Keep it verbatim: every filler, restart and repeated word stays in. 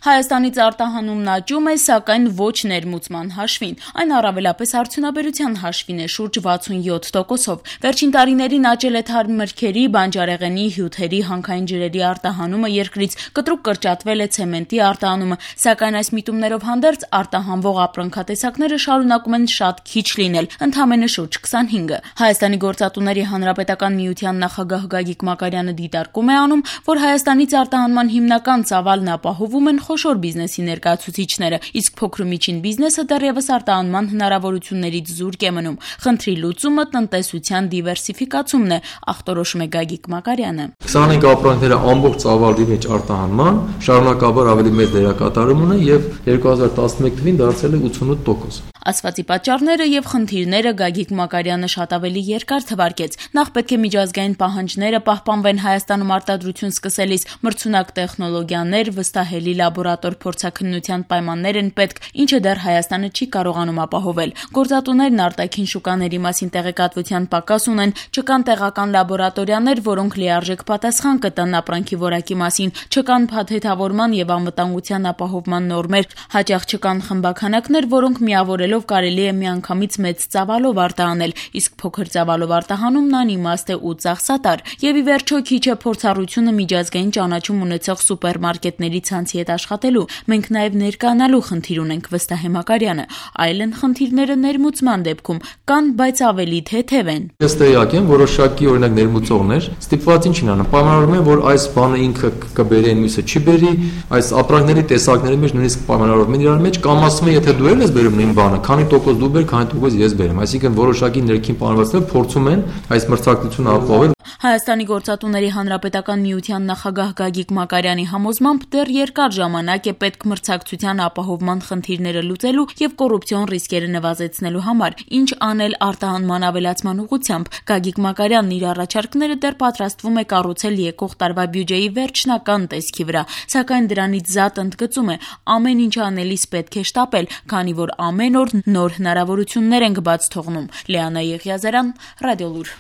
Հայաստանից արտահանումն աճում է, սակայն ոչ ներմուծման հաշվին, այն առավելապես արդյունաբերության հաշվին է շուրջ վաթսունյոթ տոկոսով։ Վերջին տարիներին աճել է թարմմրգերի, բանջարեղենի, հյութերի, հանքային ջրերի արտահանումը երկրից, կտրուկ կրճատվել է ցեմենտի արտահանումը, սակայն այս միտումներով հանդերձ արտահանվող ապրանքատեսակները շարունակում են շատ քիչ լինել, ընդամենը շուրջ քսանհինգը։ Հայաստանի գործատուների հանրապետական միության նախագահ Գագիկ Մակարյանը դիտարկում է անում, որ Հայաստանից արտահանման հիմնական ծավալն ապահովում են խոշոր բիզնեսի ներկայացուցիչները, իսկ փոքր ու միջին բիզնեսը դեռևս արտահանման հնարավորություններից զուրկ է մնում։ Խնդրի լուծումը տնտեսության դիվերսիֆիկացումն է, ախտորոշում է Գագիկ Մակարյանը։ քսանհինգ ապրանքները ամբողջ ծավալի մեջ արտահանման շարունակաբար ավելի մեծ դերակատարում ունեն եւ երկու հազար տասնմեկ թվին դարձել է ութանոթ տոկոս։ Ասվածի պատճառները եւ խնդիրները Գագիկ Մակարյանը շատ ավելի երկար թվարկեց։ Նախ պետք է միջազգային պահանջները պահպանվեն Հայաստանում արտադրություն սկսելիս, մրցունակ տեխնոլոգիաներ, վստահելի լաբորատոր փորձաքննության պայմաններ են պետք, ինչը դեռ Հայաստանը չի կարողանում ապահովել։ Գործատուներն արտաքին շուկաների մասին տեղեկատվության պակաս ունեն, չկան տեղական լաբորատորիաներ, որոնք լիարժեք պատասխան կտան ապրանքի որակի մասին, չկան փաթեթավորման եւ անվտանգության ապահովման նորմեր, հաճախ չկան խմբաքանակներ, որոնք միավորելով կարելի է միանգամից մեծ ծավալով արտահանել, իսկ փոքր ծավալով արտահանումն անիմաստ է ու ծախսատար։ Եվ ի վերջո քիչ է փորձառությունը միջազգային ճանաչում ունեցող սուպերմարկետների ցանցի հետ աշխատելու։ Մենք նաև ներկայանալու խնդիր ունենք, վստահ է Մակարյանը, այլ են խնդիրները ներմուծման դեպքում, կան, բայց ավելի թեթև են։ Ես տեղյակ եմ, որոշակի օրինակ ներմուծողներ ստիպված ինչ են անում, պայմանավորվում են, որ այս բանը ինքը կբերի, մյուսը չի բերի, այս ապրանքների տեսակների մեջ նույնիսկ պայմանավորվում են իրար մեջ, կամ ասում են, եթե դու ես բերում նույն բանը, քանի տոկոս դու բեր, քանի տոկոս ես բերեմ, այսինքն որոշակի ներքին պայմանավորվածներ փորձում են այս մրցակցությունը ապահովել։ Հայաստանի գործատուների հանրապետական միության նախագահ Գագիկ Մակարյանի համոզմամբ դեռ երկար ժամանակ է պետք մրցակցության ապահովման խնդիրները լուծելու եւ կոռուպցիոն ռիսկերը նվազեցնելու համար, ինչ անել արտահանման ավելացման ուղղությամբ։ Գագիկ Մակարյանն իր առաջարկները դեռ պատրաստվում է կառուցել եկող տարվա բյուջեի վերջնական տեսքի վրա, սակայն դրանից զատ ընդգծում է, ամեն ինչ անելիս պետք է շտապել, քանի որ ամեն օր նոր հնարավորություններ ենք բաց թողնում։ Լիանա Եղիազարյան, Ռադիոլուր։